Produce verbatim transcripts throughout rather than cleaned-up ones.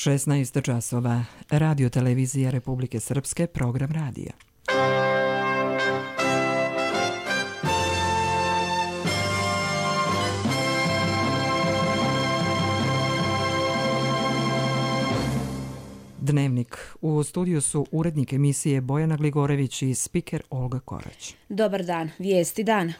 šesnaest časova. Radio televizija Republike Srpske, program radija. Dnevnik. U studiju su urednik emisije Bojana Gligorević i spiker Olga Korać. Dobar dan. Vijesti dana.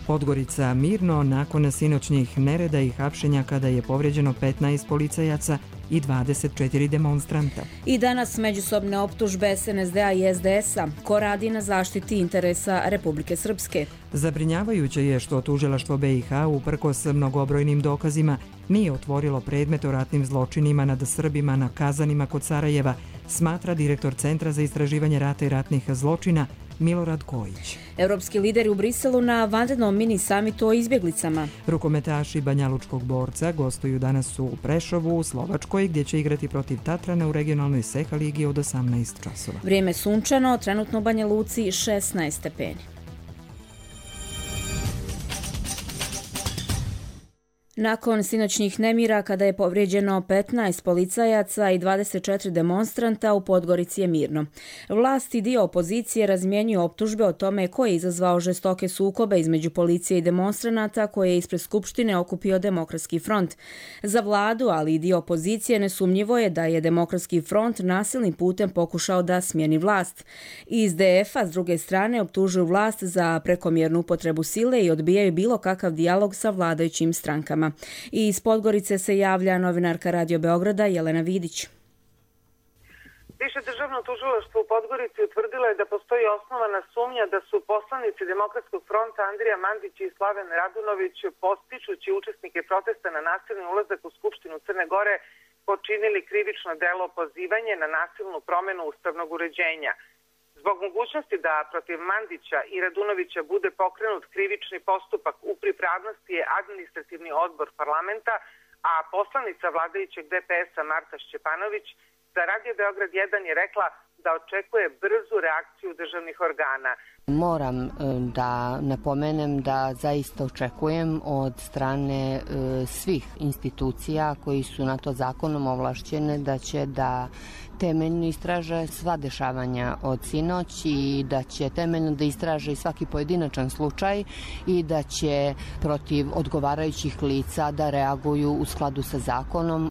Podgorica mirno nakon sinoćnjih nereda i hapšenja kada je povrijeđeno petnaest policajaca i dvadeset četiri demonstranta. I danas međusobne optužbe S N S D-a i S D S-a. Ko radi na zaštiti interesa Republike Srpske? Zabrinjavajuće je što tužilaštvo B i H uprkos mnogobrojnim dokazima nije otvorilo predmet o ratnim zločinima nad Srbima na Kazanima kod Sarajeva, smatra direktor Centra za istraživanje rata i ratnih zločina Milorad Kojić. Evropski lideri u Briselu na vanrednom mini samitu o izbjeglicama. Rukometaši Banjalučkog borca gostuju danas u Prešovu u Slovačkoj gdje će igrati protiv Tatrana u regionalnoj Seha ligi od osamnaest časova. Vrijeme sunčano, trenutno u Banja Luci šesnaest stepeni. Nakon sinoćnih nemira, kada je povrijeđeno petnaest policajaca i dvadeset četiri demonstranta, u Podgorici je mirno. Vlast i dio opozicije razmjenjuju optužbe o tome ko je izazvao žestoke sukobe između policije i demonstranata koje je ispred Skupštine okupio Demokratski front. Za vladu, ali i dio opozicije, nesumnjivo je da je Demokratski front nasilnim putem pokušao da smijeni vlast. Iz D F-a, s druge strane, optužuju vlast za prekomjernu upotrebu sile i odbijaju bilo kakav dijalog sa vladajućim strankama. I iz Podgorice se javlja novinarka Radio Beograda Jelena Vidić. Više državno tužilaštvo u Podgorici utvrdilo je da postoji osnovana sumnja da su poslanici Demokratskog fronta Andrija Mandić i Slaven Radunović, podstičući učesnike protesta na nasilni ulazak u Skupštinu Crne Gore, počinili krivično delo pozivanje na nasilnu promjenu ustavnog uređenja. Zbog mogućnosti da protiv Mandića i Radunovića bude pokrenut krivični postupak, u pripravnosti je administrativni odbor parlamenta, a poslanica vladajućeg D P S-a Marta Šćepanović za Radio Beograd jedan je rekla da očekuje brzu reakciju državnih organa. Moram da napomenem da zaista očekujem od strane svih institucija koji su na to zakonom ovlašćene da će da temeljno istraže sva dešavanja od sinoć i da će temeljno da istraže i svaki pojedinačan slučaj i da će protiv odgovarajućih lica da reaguju u skladu sa zakonom.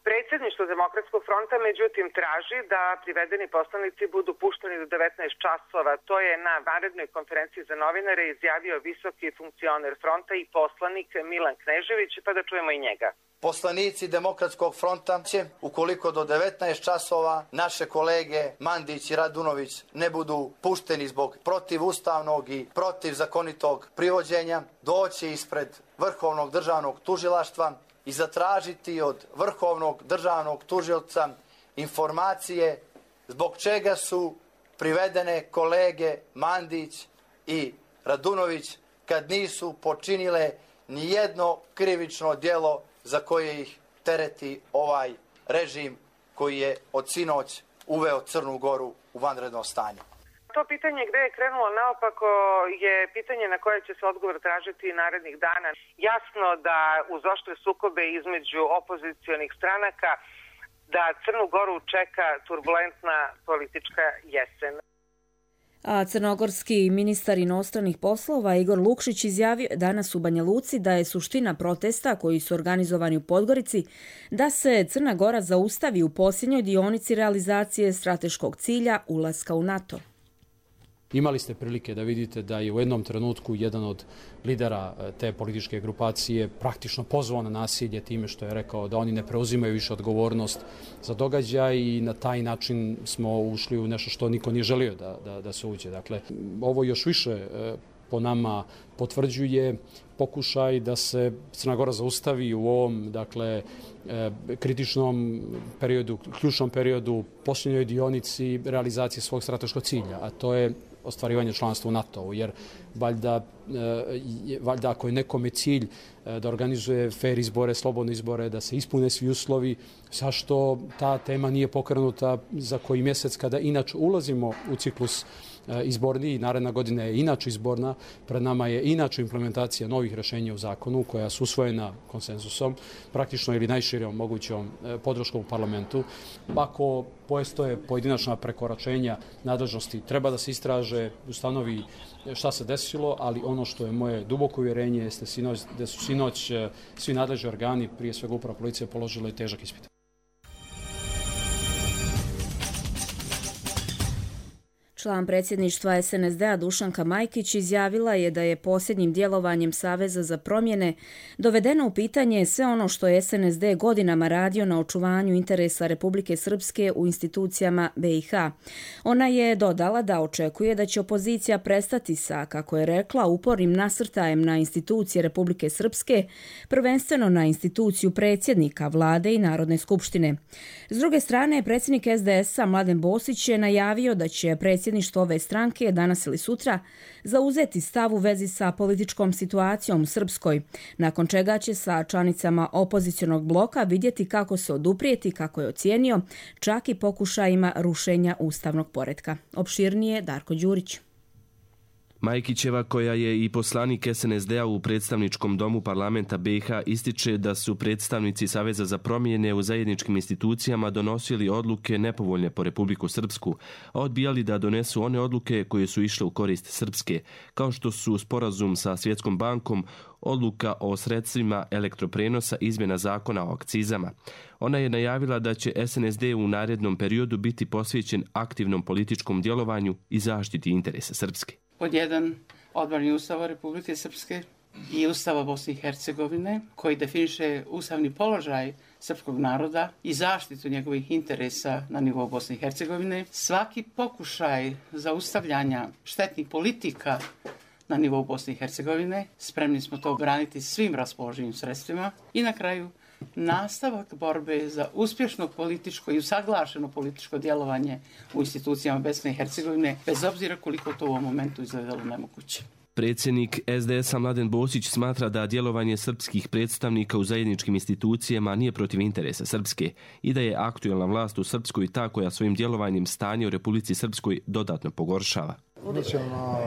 Predsjedništvo Demokratskog fronta međutim traži da privedeni poslanici budu pušteni do devetnaest časova. To je na vanrednoj konferenciji za novinare izjavio visoki funkcioner fronta i poslanik Milan Knežević, pa da čujemo i njega. Poslanici Demokratskog fronta će, ukoliko do devetnaest časova naše kolege Mandić i Radunović ne budu pušteni zbog protivustavnog i protivzakonitog privođenja, doći ispred Vrhovnog državnog tužilaštva i zatražiti od Vrhovnog državnog tužioca informacije zbog čega su privedene kolege Mandić i Radunović kad nisu počinile ni jedno krivično djelo za koje ih tereti ovaj režim koji je od sinoć uveo Crnu Goru u vanredno stanje. To pitanje gdje je krenulo naopako je pitanje na koje će se odgovor tražiti narednih dana. Jasno da uz oštre sukobe između opozicionih stranaka da Crnu Goru čeka turbulentna politička jesen. A crnogorski ministar inostranih poslova Igor Lukšić izjavio danas u Banja Luci da je suština protesta koji su organizovani u Podgorici da se Crna Gora zaustavi u posljednjoj dionici realizacije strateškog cilja ulaska u NATO. Imali ste prilike da vidite da je u jednom trenutku jedan od lidera te političke grupacije praktično pozvao na nasilje time što je rekao da oni ne preuzimaju više odgovornost za događaj i na taj način smo ušli u nešto što niko nije želio da, da, da se uđe. Dakle, ovo još više po nama potvrđuje pokušaj da se Crna Gora zaustavi u ovom, dakle, kritičnom periodu, ključnom periodu, posljednjoj dionici realizacije svog strateškog cilja, a to je ostvarivanje članstva u NATO-u, jer valjda valjda ako je nekome cilj da organizuje fair izbore, slobodne izbore, da se ispune svi uslovi, zašto ta tema nije pokrenuta za koji mjesec kada inače ulazimo u ciklus izborni i naredna godina je inače izborna, pred nama je inače implementacija novih rješenja u zakonu koja su usvojena konsenzusom, praktično ili najširom mogućom podrškom u parlamentu. Ako postoje pojedinačna prekoračenja nadležnosti, treba da se istraže, ustanovi šta se desilo, ali ono što je moje duboko uvjerenje jeste da su sinoć svi nadležni organi, prije svega uprava policije, položili težak ispit. Član predsjedništva es en es de a Dušanka Majkić izjavila je da je posljednjim djelovanjem Saveza za promjene dovedeno u pitanje sve ono što je es en es de godinama radio na očuvanju interesa Republike Srpske u institucijama be i ha. Ona je dodala da očekuje da će opozicija prestati sa, kako je rekla, upornim nasrtajem na institucije Republike Srpske, prvenstveno na instituciju predsjednika vlade i Narodne skupštine. S druge strane, predsjednik es de es a Mladen Bosić je najavio da će predsjednik Predsjedništvo ove stranke danas ili sutra zauzeti stav u vezi sa političkom situacijom u Srpskoj, nakon čega će sa članicama opozicionog bloka vidjeti kako se oduprijeti, kako je ocijenio, čak i pokušajima rušenja ustavnog poretka. Opširnije Darko Đurić. Majkićeva, koja je i poslanik es en es de a u predstavničkom domu parlamenta be i ha, ističe da su predstavnici Saveza za promjene u zajedničkim institucijama donosili odluke nepovoljne po Republiku Srpsku, a odbijali da donesu one odluke koje su išle u korist Srpske, kao što su sporazum sa Svjetskom bankom, odluka o sredstvima elektroprenosa, izmjena zakona o akcizama. Ona je najavila da će es en es de u narednom periodu biti posvećen aktivnom političkom djelovanju i zaštiti interesa Srpske. Pod jedan, odbrani Ustava Republike Srpske i Ustava Bosne i Hercegovine, koji definiše ustavni položaj srpskog naroda i zaštitu njegovih interesa na nivou Bosne i Hercegovine. Svaki pokušaj zaustavljanja štetnih politika na nivou Bosne i Hercegovine, spremni smo to braniti svim raspoloživim sredstvima. I na kraju, nastavak borbe za uspješno političko i usaglašeno političko djelovanje u institucijama Bosne i Hercegovine, bez obzira koliko to u ovom momentu izgledalo nemoguće. Predsjednik es de es a Mladen Bosić smatra da djelovanje srpskih predstavnika u zajedničkim institucijama nije protiv interesa Srpske i da je aktuelna vlast u Srpskoj ta koja svojim djelovanjem stanje u Republici Srpskoj dodatno pogoršava. Mi ćemo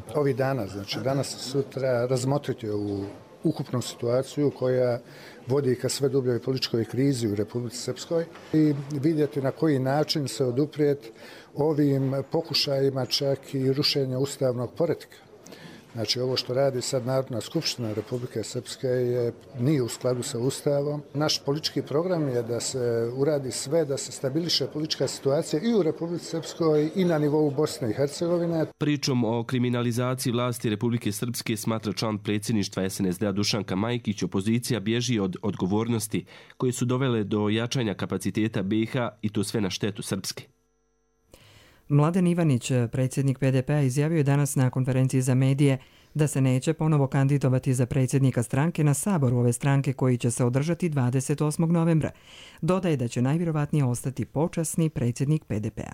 uh, ovih dana, znači danas i sutra, razmotriti ovu ukupnu situaciju koja vodi ka sve dubljoj političkoj krizi u Republici Srpskoj i vidjeti na koji način se oduprijeti ovim pokušajima čak i rušenja ustavnog poretka. Znači, ovo što radi sad Narodna skupština Republike Srpske je, nije u skladu sa Ustavom. Naš politički program je da se uradi sve, da se stabiliše politička situacija i u Republici Srpskoj i na nivou Bosne i Hercegovine. Pričom o kriminalizaciji vlasti Republike Srpske, smatra član predsjedništva es en es de a Dušanka Majkić, opozicija bježi od odgovornosti koje su dovele do jačanja kapaciteta be i ha i to sve na štetu Srpske. Mladen Ivanić, predsjednik pe de pe a, izjavio je danas na konferenciji za medije da se neće ponovo kandidovati za predsjednika stranke na saboru ove stranke koji će se održati dvadeset osmog novembra. Dodaje da će najvjerovatnije ostati počasni predsjednik pe de pe a.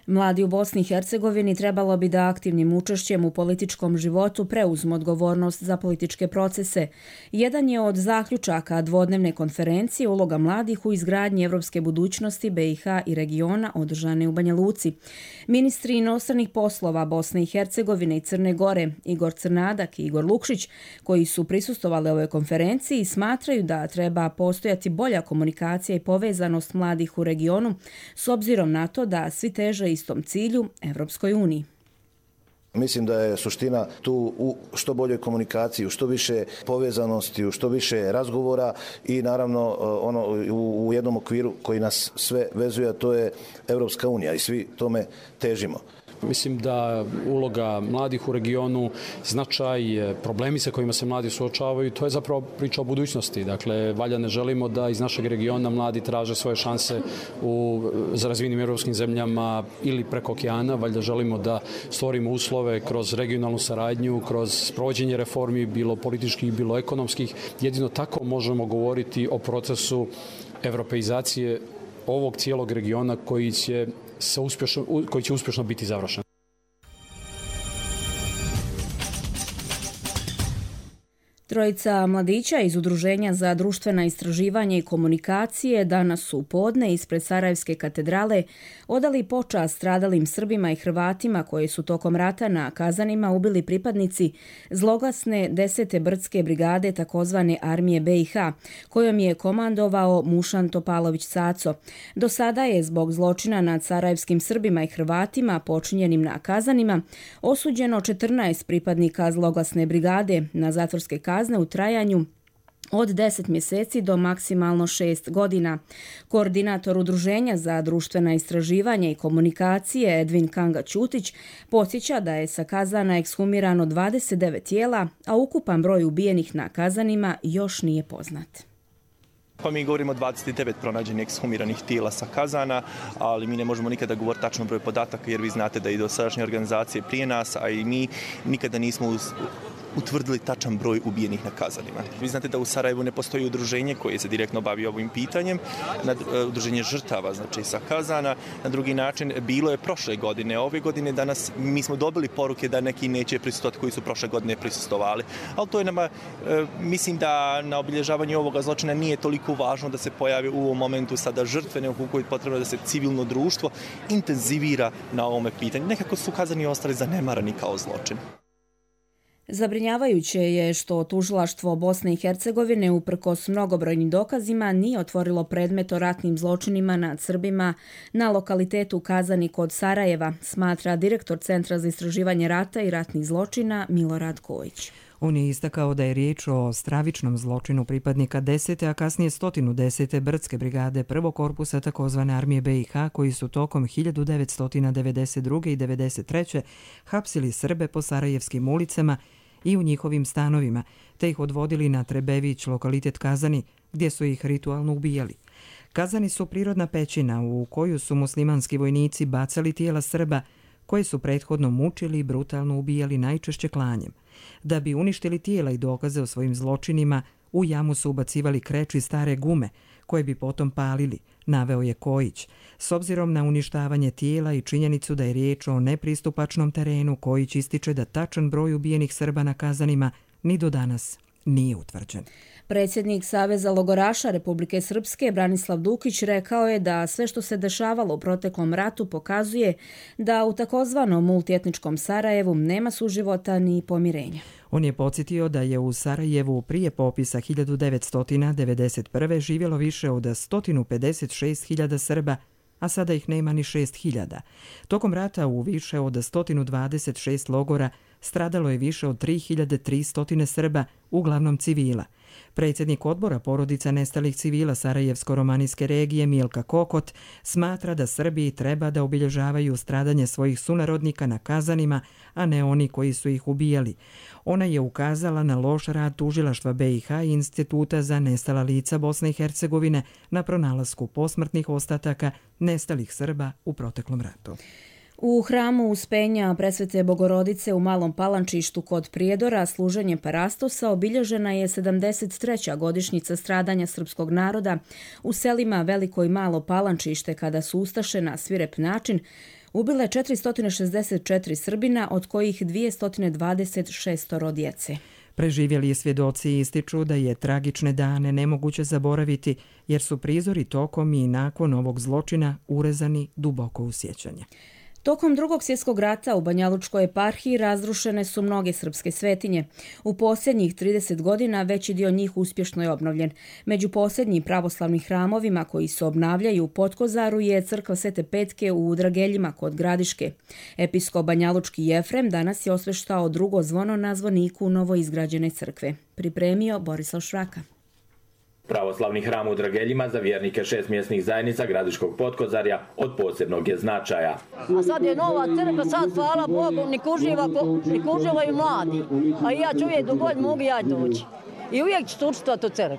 Mladi u Bosni i Hercegovini trebalo bi da aktivnim učešćem u političkom životu preuzmu odgovornost za političke procese. Jedan je od zaključaka dvodnevne konferencije uloga mladih u izgradnji evropske budućnosti be i ha i regiona održane u Banja Luci. Ministri inostranih poslova Bosne i Hercegovine i Crne Gore, Igor Crnadak i Igor Lukšić, koji su prisustvovali ovoj konferenciji, smatraju da treba postojati bolja komunikacija i povezanost mladih u regionu s obzirom na to da svi teže istom cilju, Evropskoj uniji. Mislim da je suština tu u što boljoj komunikaciji, u što više povezanosti, u što više razgovora i naravno ono u jednom okviru koji nas sve vezuje, a to je Evropska unija i svi tome težimo. Mislim da uloga mladih u regionu, značaj, problemi sa kojima se mladi suočavaju, to je zapravo priča o budućnosti. Dakle, valjda ne želimo da iz našeg regiona mladi traže svoje šanse u razvijenim evropskim zemljama ili preko okeana. Valjda želimo da stvorimo uslove kroz regionalnu saradnju, kroz sprovođenje reformi, bilo političkih, bilo ekonomskih. Jedino tako možemo govoriti o procesu evropeizacije ovog cijelog regiona koji će se uspješno, koji će uspješno biti završen. Trojica mladića iz Udruženja za društvena istraživanja i komunikacije danas su podne ispred Sarajevske katedrale odali počast stradalim Srbima i Hrvatima koji su tokom rata na Kazanima ubili pripadnici zloglasne desete brdske brigade takozvane armije B i H, kojom je komandovao Mušan Topalović Caco. Do sada je zbog zločina nad sarajevskim Srbima i Hrvatima počinjenim na Kazanima osuđeno četrnaest pripadnika zloglasne brigade na zatvorske kazne u trajanju od deset mjeseci do maksimalno šest godina. Koordinator Udruženja za društvena istraživanja i komunikacije Edvin Kanga Ćutić podsjeća da je sa Kazana ekshumirano dvadeset devet tijela, a ukupan broj ubijenih na Kazanima još nije poznat. Pa mi govorimo o dvadeset devet pronađenih ekshumiranih tijela sa Kazana, ali mi ne možemo nikada govoriti tačno broj podataka jer vi znate da i dosadašnje organizacije prije nas, a i mi nikada nismo uz utvrdili tačan broj ubijenih na Kazanima. Vi znate da u Sarajevu ne postoji udruženje koje se direktno bavi ovim pitanjem, udruženje žrtava, znači sa Kazana. Na drugi način, bilo je prošle godine, ove godine danas mi smo dobili poruke da neki neće prisustvovati koji su prošle godine prisustvovali. Ali to je nama, mislim da na obilježavanju ovoga zločina nije toliko važno da se pojavi u ovom momentu sada žrtve, nego koliko je potrebno da se civilno društvo intenzivira na ovome pitanju. Nekako su Kazani ostali zanemarani kao zločin. Zabrinjavajuće je što tužilaštvo Bosne i Hercegovine uprkos mnogobrojnim dokazima nije otvorilo predmet o ratnim zločinima nad Srbima na lokalitetu Kazani kod Sarajeva, smatra direktor Centra za istraživanje rata i ratnih zločina Milorad Kojić. On je istakao da je riječ o stravičnom zločinu pripadnika desete, a kasnije stotinu desete brdske brigade prvog korpusa takozvane armije B i H koji su tokom hiljadu devetsto devedeset druge. i devedeset treće hapsili Srbe po sarajevskim ulicama i u njihovim stanovima, te ih odvodili na Trebević, lokalitet Kazani, gdje su ih ritualno ubijali. Kazani su prirodna pećina u koju su muslimanski vojnici bacali tijela Srba koje su prethodno mučili i brutalno ubijali najčešće klanjem. Da bi uništili tijela i dokaze o svojim zločinima, u jamu su ubacivali kreč i stare gume, koje bi potom palili, naveo je Kojić. S obzirom na uništavanje tijela i činjenicu da je riječ o nepristupačnom terenu, Kojić ističe da tačan broj ubijenih Srba na Kazanima ni do danas nije utvrđen. Predsjednik Saveza logoraša Republike Srpske Branislav Dukić rekao je da sve što se dešavalo u proteklom ratu pokazuje da u takozvanom multietničkom Sarajevu nema suživota ni pomirenja. On je podsjetio da je u Sarajevu prije popisa hiljadu devetsto devedeset prve živjelo više od sto pedeset šest hiljada Srba, a sada ih nema ni šest hiljada. Tokom rata u više od sto dvadeset šest logora stradalo je više od tri hiljade tristo Srba, uglavnom civila. Predsjednik odbora porodica nestalih civila Sarajevsko-romanijske regije Milka Kokot smatra da Srbiji treba da obilježavaju stradanje svojih sunarodnika na Kazanima, a ne oni koji su ih ubijali. Ona je ukazala na loš rad tužilaštva B i H i Instituta za nestala lica Bosne i Hercegovine na pronalasku posmrtnih ostataka nestalih Srba u proteklom ratu. U hramu Uspenja Presvete Bogorodice u Malom Palančištu kod Prijedora služenjem Parastosa obilježena je sedamdeset treća godišnjica stradanja srpskog naroda u selima Veliko i Malo Palančište kada su ustaše na svirep način ubile četiristo šezdeset četiri Srbina, od kojih dvjesto dvadeset šest djece. Preživjeli svjedoci ističu da je tragične dane nemoguće zaboraviti jer su prizori tokom i nakon ovog zločina urezani duboko u sjećanje. Tokom Drugog svjetskog rata u Banjalučkoj eparhiji razrušene su mnoge srpske svetinje. U posljednjih trideset godina veći dio njih uspješno je obnovljen. Među posljednjim pravoslavnim hramovima koji se obnavljaju u Potkozaru je crkva Svete Petke u Drageljima kod Gradiške. Episkop Banjalučki Jefrem danas je osveštao drugo zvono na zvoniku novoizgrađene crkve. Pripremio Borislav Šraka. Pravoslavni hram u Drageljima za vjernike šest mjesnih zajednica Gradiškog Potkozarja od posebnog je značaja. A sad je nova crkva, sad hvala Bogu, nik uživaju mladi. A ja ću uvijek dok god mogu ja doći. I uvijek ću učestvovati u crkvi.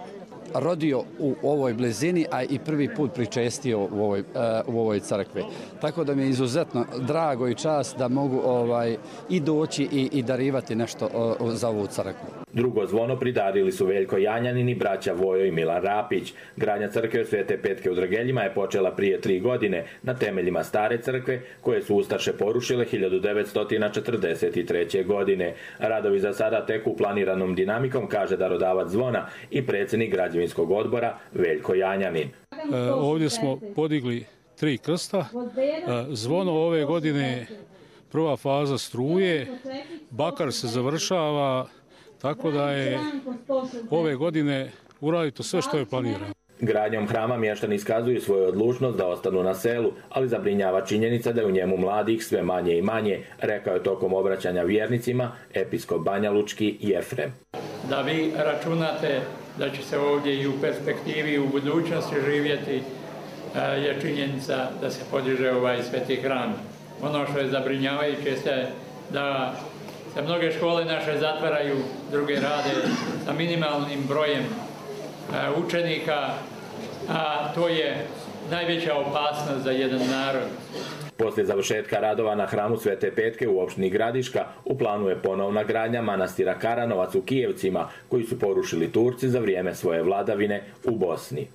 Rodio u ovoj blizini, a i prvi put pričestio u ovoj, uh, u ovoj crkvi. Tako da mi je izuzetno drago i čast da mogu ovaj, i doći i, i darivati nešto uh, za ovu crkvu. Drugo zvono pridarili su Veljko Janjanin i braća Vojo i Milan Rapić. Gradnja crkve Svete Petke u Drageljima je počela prije tri godine na temeljima stare crkve koje su ustaše porušile hiljadu devetsto četrdeset treće. godine. Radovi za sada teku planiranom dinamikom, kaže darodavac zvona i predsjednik građevinskog odbora Veljko Janjanin. E, ovdje smo podigli tri krsta. E, zvono ove godine prva faza struje, bakar se završava, tako da je ove godine uradito sve što je planirano. Gradnjom hrama mještani iskazuju svoju odlučnost da ostanu na selu, ali zabrinjava činjenica da je u njemu mladih sve manje i manje, rekao je tokom obraćanja vjernicima episkop Banjalučki Jefrem. Da vi računate da će se ovdje i u perspektivi i u budućnosti živjeti je činjenica da se podiže ovaj sveti hram. Ono što je zabrinjavajuće je da se mnoge škole naše zatvaraju, druge rade sa minimalnim brojem učenika, a to je najveća opasnost za jedan narod. Poslije završetka radova na hramu Svete Petke u opštini Gradiška u planu je ponovna gradnja manastira Karanovac u Kijevcima, koji su porušili Turci za vrijeme svoje vladavine u Bosni.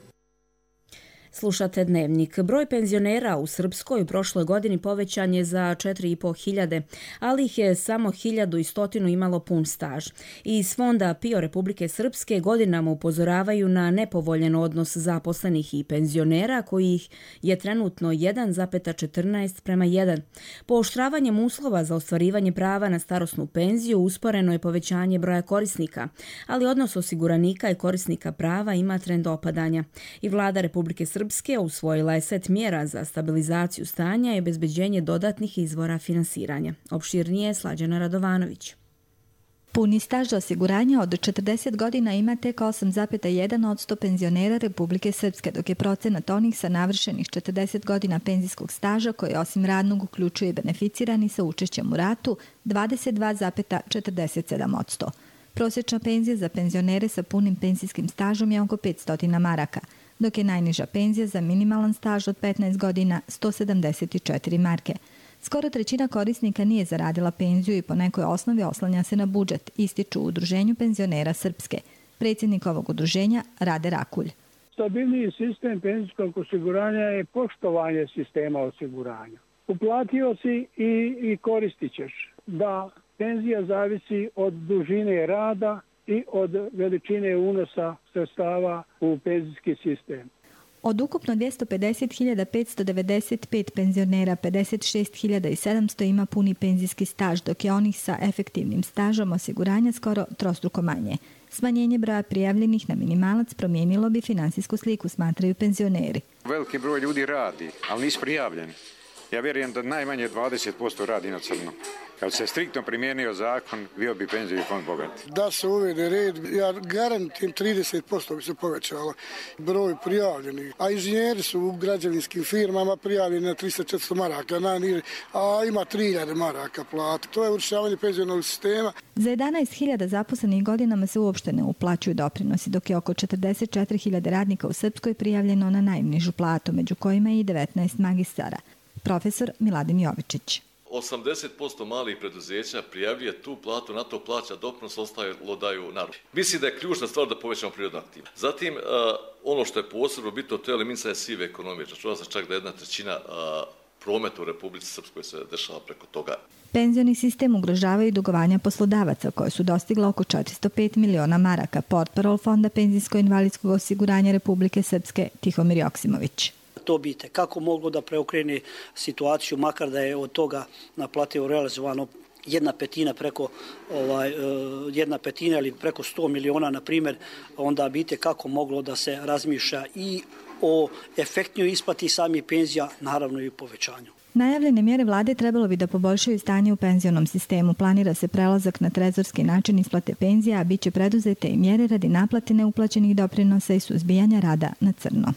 Slušate Dnevnik. Broj penzionera u Srpskoj u prošloj godini povećan je za četiri i po hiljade, ali ih je samo hiljadu i stotinu imalo pun staž. Iz fonda P I O Republike Srpske godinama upozoravaju na nepovoljen odnos zaposlenih i penzionera, kojih je trenutno jedan zarez četrnaest prema jedan. Pooštravanjem uslova za ostvarivanje prava na starosnu penziju usporeno je povećanje broja korisnika, ali odnos osiguranika i korisnika prava ima trend opadanja. I vlada Republike Srpske Srpske usvojila je set mjera za stabilizaciju stanja i obezbeđenje dodatnih izvora finansiranja. Opširnije Slađana Radovanović. Puni staž osiguranja od četrdeset godina ima tek osam zarez jedan posto penzionera Republike Srpske, dok je procenat onih sa navršenih četrdeset godina penzijskog staža, koji osim radnog uključuje beneficirani sa učešćem u ratu, dvadeset dva zarez četrdeset sedam posto. Prosječna penzija za penzionere sa punim penzijskim stažom je oko petsto maraka, dok je najniža penzija za minimalan staž od petnaest godina sto sedamdeset četiri marke. Skoro trećina korisnika nije zaradila penziju i po nekoj osnovi oslanja se na budžet, ističu u Udruženju penzionera Srpske. Predsjednik ovog udruženja Rade Rakulj. Stabilniji sistem penzijskog osiguranja je poštovanje sistema osiguranja. Uplatio si i, i koristit ćeš da penzija zavisi od dužine rada i od veličine unosa sredstava u penzijski sistem. Od ukupno dvjesto pedeset hiljada petsto devedeset pet penzionera, pedeset šest hiljada sedamsto ima puni penzijski staž, dok je onih sa efektivnim stažom osiguranja skoro trostruko manje. Smanjenje broja prijavljenih na minimalac promijenilo bi finansijsku sliku, smatraju penzioneri. Veliki broj ljudi radi, ali nisu prijavljeni. Ja vjerujem da najmanje dvadeset posto radi na crno. Kad se striktno primijenio zakon, bio bi penzijski fond bogat. Da se uvede red, ja garantujem trideset posto bi se povećalo broj prijavljenih. A inženjeri su u građevinskim firmama prijavljeni na tristo četiristo maraka, a ima tri hiljade maraka plata. To je urušavanje penzionog sistema. Za jedanaest hiljada zaposlenih godinama se uopšte ne uplaćuju doprinosi, dok je oko četrdeset četiri hiljade radnika u Srpskoj prijavljeno na najnižu platu, među kojima je i devetnaest magistara. Profesor Miladin Jovičić. osamdeset posto malih preduzeća prijavljuje tu platu, na to plaća doprinos, ostalo daju narod. Mislim da je ključna stvar da povećamo prirodnu aktivnost. Zatim, uh, ono što je posebno bitno, to je eliminisanje sive ekonomije. Čuva se čak da jedna trećina uh, prometa u Republici Srpskoj se dešava preko toga. Penzioni sistem ugrožavaju i dugovanja poslodavaca, koje su dostigla oko četiristo pet miliona maraka, portparol Fonda penzijsko-invalidskog osiguranja Republike Srpske Tihomir Joksimović. To bi kako moglo da preokrene situaciju, makar da je od toga naplatio realizovano jedna petina preko ovaj, jedna petina ili preko sto miliona, na primjer, onda bi kako moglo da se razmišlja i o efektnoj isplati samih penzija, naravno i povećanju. Najavljene mjere vlade trebalo bi da poboljšaju stanje u penzionom sistemu. Planira se prelazak na trezorski način isplate penzija, a bit će preduzete i mjere radi naplate neuplaćenih doprinosa i suzbijanja rada na crno.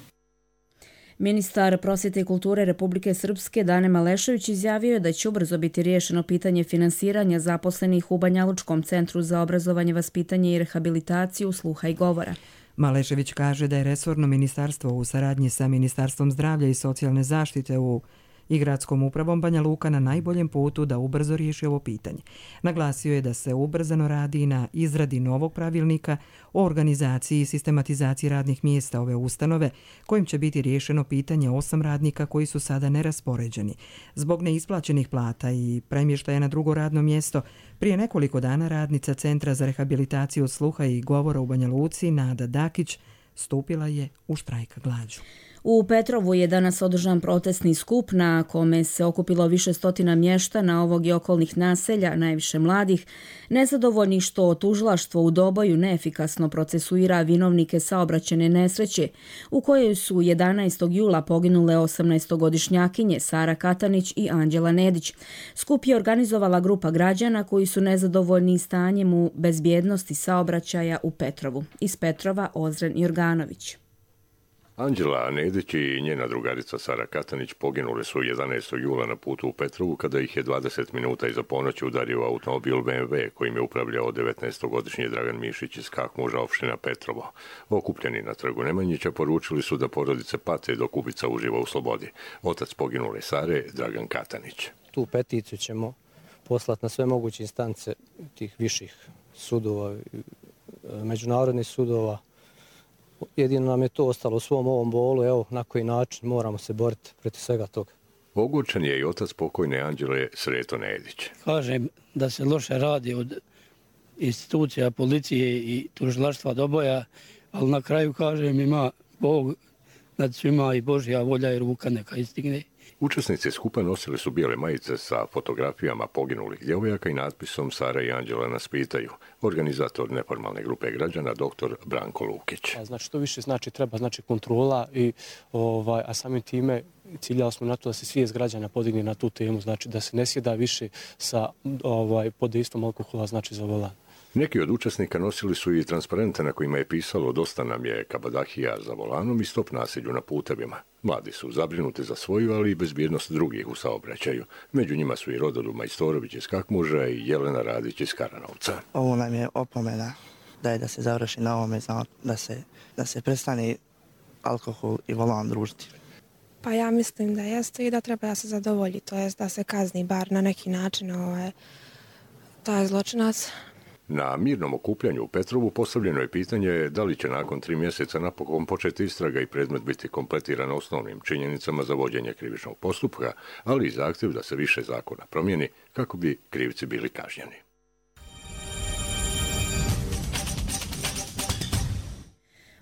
Ministar prosvjete i kulture Republike Srpske Dane Malešević izjavio je da će ubrzo biti riješeno pitanje finansiranja zaposlenih u Banjalučkom centru za obrazovanje, vaspitanje i rehabilitaciju sluha i govora. Malešević kaže da je resorno ministarstvo u saradnji sa Ministarstvom zdravlja i socijalne zaštite u i gradskom upravom Banja Luka na najboljem putu da ubrzo riješi ovo pitanje. Naglasio je da se ubrzano radi na izradi novog pravilnika o organizaciji i sistematizaciji radnih mjesta ove ustanove, kojim će biti riješeno pitanje osam radnika koji su sada neraspoređeni. Zbog neisplaćenih plata i premještaja na drugo radno mjesto, prije nekoliko dana radnica Centra za rehabilitaciju sluha i govora u Banja Luci, Nada Dakić, stupila je u štrajk glađu. U Petrovu je danas održan protestni skup na kome se okupilo više stotina mještana ovog i okolnih naselja, najviše mladih, nezadovoljni što tužilaštvo u Doboju neefikasno procesuira vinovnike saobraćajne nesreće u kojoj su jedanaestog jula poginule osamnaestogodišnjakinje Sara Katanić i Anđela Nedić. Skup je organizovala grupa građana koji su nezadovoljni stanjem u bezbjednosti saobraćaja u Petrovu. Iz Petrova Ozren Jorganović. Anđela Nedić i njena drugarica Sara Katanić poginule su jedanaestog jula na putu u Petrovu kada ih je dvadeset minuta iza ponoći udario automobil B M W kojim je upravljao devetnaestogodišnji Dragan Mišić iz Kakmuža, opština Petrovo. Okupljeni na trgu Nemanjića poručili su da porodice pate dok ubica uživa u slobodi. Otac poginule Sare, Dragan Katanić. Tu peticiju ćemo poslati na sve moguće instance tih viših sudova, međunarodnih sudova. Jedino nam je to ostalo u svom ovom bolu, evo na koji način moramo se boriti protiv svega toga. Ogorčen je i otac pokojne Anđele Sreto Nedić. Kažem da se loše radi od institucija, policije i tužilaštva Doboja, ali na kraju kažem ima Bog nad svima i Božja volja i ruka neka istigne. Učesnici skupa nosili su bijele majice sa fotografijama poginulih djevojaka i natpisom Sara i Anđela nas pitaju. Organizator neformalne grupe građana doktor Branko Lukić. Znači to više znači treba znači kontrola i ovaj a samim time ciljali smo na to da se svijest građana podigne na tu temu, znači da se ne sjeda više sa ovaj pod dejstvom alkohola znači za volan. Neki od učesnika nosili su i transparente na kojima je pisalo dosta nam je kabadahija za volanom i stop nasilju na putevima. Mladi su zabrinuti za svoju, ali i bezbjednost drugih u saobraćaju. Među njima su i Rodoljub Majstorović iz Kakmuža i Jelena Radić iz Karanovca. Ovo nam je opomena da je da se završi na ovome, da se, da se prestane alkohol i volan družiti. Pa ja mislim da jeste i da treba da se zadovolji, to jest da se kazni bar na neki način ovaj, taj zločinac. Na mirnom okupljanju u Petrovu postavljeno je pitanje da li će nakon tri mjeseca napokon početi istraga i predmet biti kompletiran osnovnim činjenicama za vođenje krivičnog postupka, ali i zahtjev da se više zakona promijeni kako bi krivci bili kažnjeni.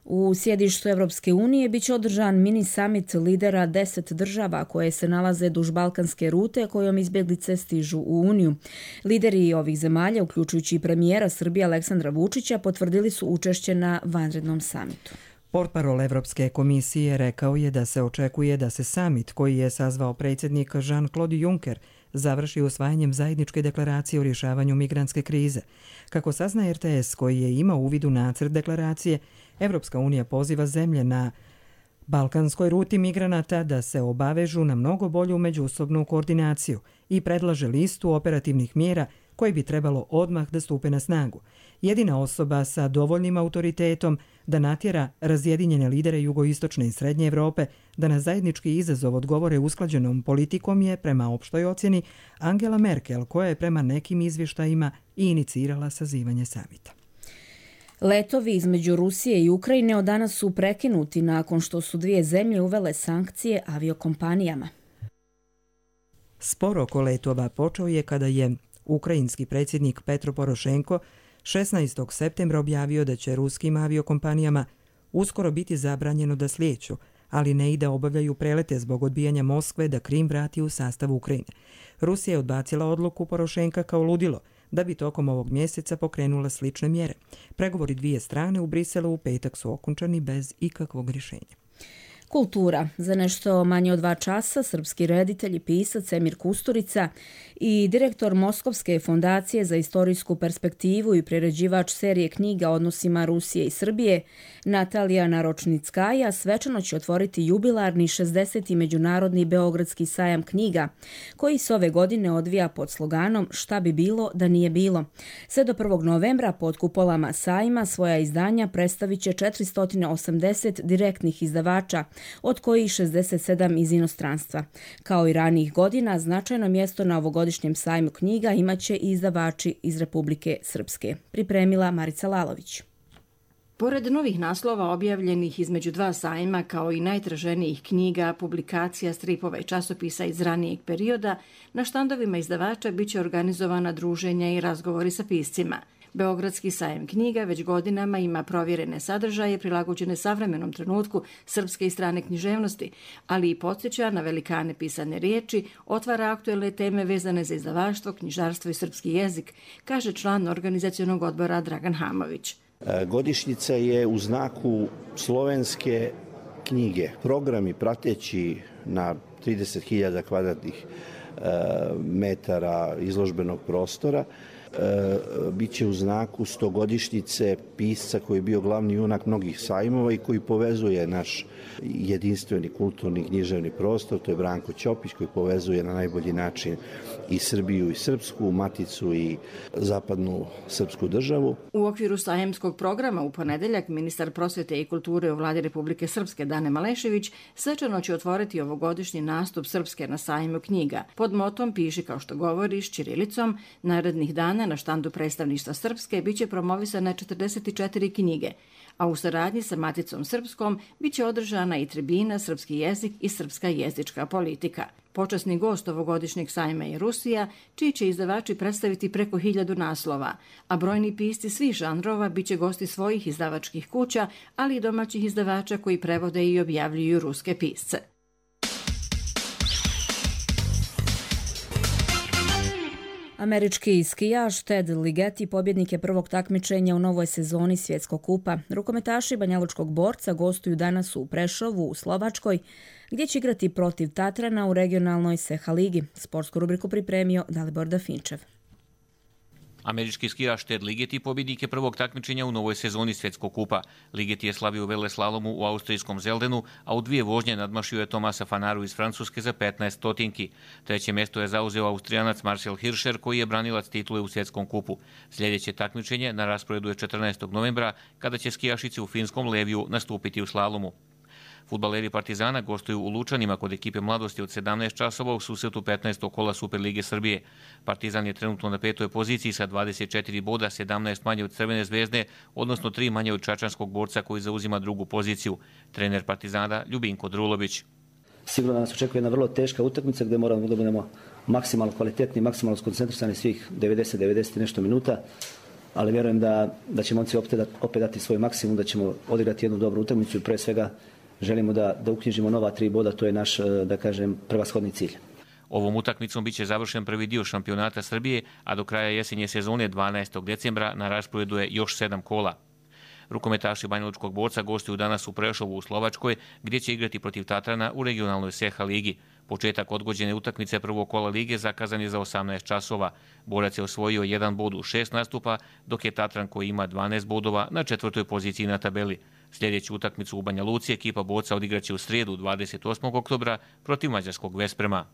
U sjedištu Evropske unije biće održan mini summit lidera deset država koje se nalaze duž balkanske rute kojom izbjeglice stižu u Uniju. Lideri ovih zemalja, uključujući i premijera Srbije Aleksandra Vučića, potvrdili su učešće na vanrednom samitu. Portparol Evropske komisije rekao je da se očekuje da se samit koji je sazvao predsjednik Jean-Claude Juncker završi usvajanjem zajedničke deklaracije o rješavanju migrantske krize. Kako sazna R T S koji je imao uvid u nacrt deklaracije, Evropska unija poziva zemlje na balkanskoj ruti migranata da se obavežu na mnogo bolju međusobnu koordinaciju i predlaže listu operativnih mjera koje bi trebalo odmah da stupe na snagu. Jedina osoba sa dovoljnim autoritetom da natjera razjedinjene lidere jugoistočne i srednje Evrope da na zajednički izazov odgovore usklađenom politikom je, prema opštoj ocjeni, Angela Merkel, koja je prema nekim izvještajima i inicirala sazivanje samita. Letovi između Rusije i Ukrajine od danas su prekinuti nakon što su dvije zemlje uvele sankcije aviokompanijama. Spor oko letova počeo je kada je ukrajinski predsjednik Petro Porošenko šesnaestog septembra objavio da će ruskim aviokompanijama uskoro biti zabranjeno da slijeću, ali ne i da obavljaju prelete zbog odbijanja Moskve da Krim vrati u sastav Ukrajine. Rusija je odbacila odluku Porošenka kao ludilo, da bi tokom ovog mjeseca pokrenula slične mjere. Pregovori dvije strane u Briselu u petak su okončani bez ikakvog rješenja. Kultura. Za nešto manje od dva časa srpski reditelj i pisac Emir Kusturica i direktor Moskovske fondacije za istorijsku perspektivu i priređivač serije knjiga o odnosima Rusije i Srbije Natalija Naročnickaja svečano će otvoriti jubilarni šezdeseti međunarodni beogradski sajam knjiga koji se ove godine odvija pod sloganom Šta bi bilo da nije bilo. Sve do prvog novembra pod kupolama sajma svoja izdanja predstavit će četiristo osamdeset direktnih izdavača od kojih šezdeset sedam iz inostranstva. Kao i ranijih godina, značajno mjesto na ovogodišnjem sajmu knjiga imaće i izdavači iz Republike Srpske. Pripremila Marica Lalović. Pored novih naslova objavljenih između dva sajma, kao i najtraženijih knjiga, publikacija, stripova i časopisa iz ranijeg perioda, na štandovima izdavača biće organizovana druženja i razgovori sa piscima. Beogradski sajam knjiga već godinama ima provjerene sadržaje prilagođene savremenom trenutku srpske i strane književnosti, ali i podsjeća na velikane pisane riječi, otvara aktuelne teme vezane za izdavaštvo, knjižarstvo i srpski jezik, kaže član organizacionog odbora Dragan Hamović. Godišnjica je u znaku slovenske knjige. Programi prateći na trideset hiljada kvadratnih metara izložbenog prostora biće u znaku stogodišnjice pisca koji je bio glavni junak mnogih sajmova i koji povezuje naš jedinstveni kulturni književni prostor. To je Branko Ćopić koji povezuje na najbolji način i Srbiju i Srpsku, Maticu i zapadnu srpsku državu. U okviru sajemskog programa u ponedeljak ministar prosvete i kulture u vladi Republike Srpske Dane Malešević svečano će otvoriti ovogodišnji nastup Srpske na sajmu knjiga. Pod motom Piši kao što govoriš ćirilicom, narednih dana na štandu predstavništva Srpske biće promovisane četrdeset četiri knjige, a u saradnji sa Maticom Srpskom biće održana i tribina Srpski jezik i srpska jezička politika. Počasni gost ovogodišnjeg sajma je Rusija, čiji će izdavači predstaviti preko hiljadu naslova, a brojni pisci svih žanrova biće gosti svojih izdavačkih kuća, ali i domaćih izdavača koji prevode i objavljuju ruske pisce. Američki skijaš Ted Ligeti pobjednik je prvog takmičenja u novoj sezoni Svjetskog kupa. Rukometaši banjalučkog borca gostuju danas u Prešovu u Slovačkoj, gdje će igrati protiv Tatrana u regionalnoj Seha ligi. Sportsku rubriku pripremio Dalibor Dafinčev. Američki skijaš Ted Ligeti pobjednik je prvog takmičenja u novoj sezoni Svjetskog kupa. Ligeti je slavio u veleslalomu u austrijskom Zeldenu, a u dvije vožnje nadmašio je Tomasa Fanaru iz Francuske za petnaest stotinki. Treće mjesto je zauzeo Austrijanac Marcel Hirscher, koji je branilac titule u Svjetskom kupu. Sljedeće takmičenje na rasporedu je četrnaestog novembra, kada će skijašice u finskom Leviju nastupiti u slalomu. Fudbaleri Partizana gostuju u Lučanima kod ekipe mladosti od sedamnaest časova u susretu petnaestog kola Superlige Srbije. Partizan je trenutno na petoj poziciji sa dvadeset četiri boda, sedamnaest manje od Crvene zvezde, odnosno tri manje od čačanskog borca koji zauzima drugu poziciju. Trener Partizana Ljubinko Drulović. Sigurno nas očekuje jedna vrlo teška utakmica gdje moramo da budemo maksimalno kvalitetni, maksimalno skoncentrisani svih devedeset do devedeset nešto minuta, ali vjerujem da, da će momci opet, opet dati svoj maksimum, da ćemo odigrati jednu dobru utakmicu i pre svega želimo da, da uknjižimo nova tri boda, to je naš, da kažem, prevashodni cilj. Ovom utakmicom biće završen prvi dio šampionata Srbije, a do kraja jesenje sezone dvanaestog decembra na rasporedu je još sedam kola. Rukometaši banjalučkog borca gostuju danas u Prešovu u Slovačkoj, gdje će igrati protiv Tatrana u regionalnoj Seha ligi. Početak odgođene utakmice prvog kola lige zakazan je za osamnaest časova. Borac je osvojio jedan bod u šest nastupa, dok je Tatran, koji ima dvanaest bodova, na četvrtoj poziciji na tabeli. Sljedeću utakmicu u Banja Luci ekipa borca odigraće u srijedu dvadeset osmog oktobra protiv mađarskog Vesprema.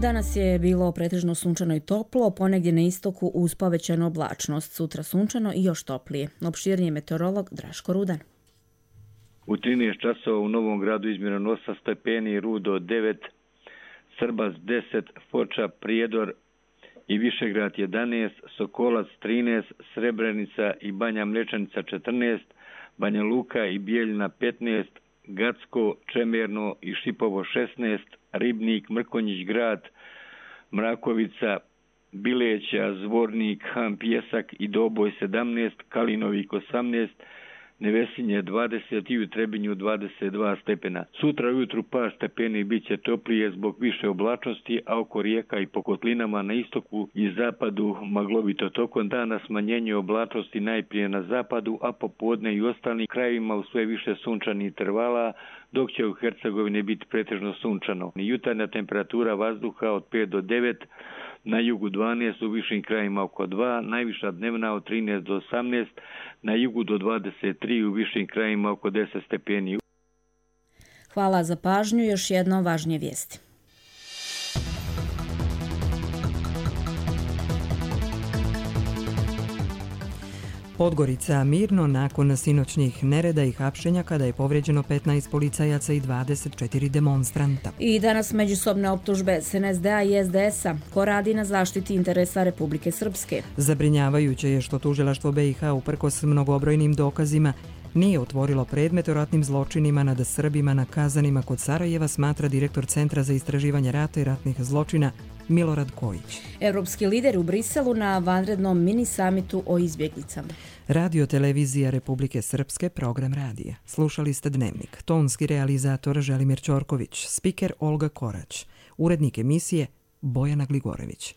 Danas je bilo pretežno sunčano i toplo, ponegdje na istoku uz povećanu oblačnost. Sutra sunčano i još toplije. Opširniji meteorolog Draško Rudan. U trinaest časova u Novom Gradu izmjereno osam stepeni, Rudo devet, Srbac deset, Foča, Prijedor i Višegrad jedanaest, Sokolac trinaest, Srebrenica i Banja Mlečanica četrnaest, Banja Luka i Bijeljina petnaest, Gacko, Čemerno i Šipovo šesnaest, Ribnik, Mrkonjić Grad, Mrakovica, Bileća, Zvornik, Han, Pjesak i Doboj sedamnaest, Kalinovik osamnaest, Nevesinje dvadeset i u Trebinju dvadeset dva stepena. Sutra ujutru par stepeni bit će toplije zbog više oblačnosti, a oko rijeka i po kotlinama na istoku i zapadu maglovito. Tokom dana smanjenje oblačnosti najprije na zapadu, a popodne i ostalim krajevima u sve više sunčanih intervala, dok će u Hercegovini biti pretežno sunčano. Jutarnja temperatura vazduha od pet do devet, na jugu dvanaest, u višim krajima oko dva, najviša dnevna od trinaest do osamnaest, na jugu do dvadeset tri, u višim krajima oko deset stepeni. Hvala za pažnju, još jedno važnije vijesti. Podgorica mirno nakon sinoćnih nereda i hapšenja kada je povrijeđeno petnaest policajaca i dvadeset četiri demonstranta. I danas međusobne optužbe S N S D-a i S D S-a. Ko radi na zaštiti interesa Republike Srpske? Zabrinjavajuće je što tužilaštvo B i H uprkos mnogobrojnim dokazima nije otvorilo predmet o ratnim zločinima nad Srbima na Kazanima kod Sarajeva, smatra direktor Centra za istraživanje rata i ratnih zločina Milorad Kojić. Evropski lideri u Briselu na vanrednom mini samitu o izbjeglicama. Radio televizija Republike Srpske, program radija. Slušali ste Dnevnik. Tonski realizator Želimir Ćorković, spiker Olga Korać, urednik emisije Bojana Gligorević.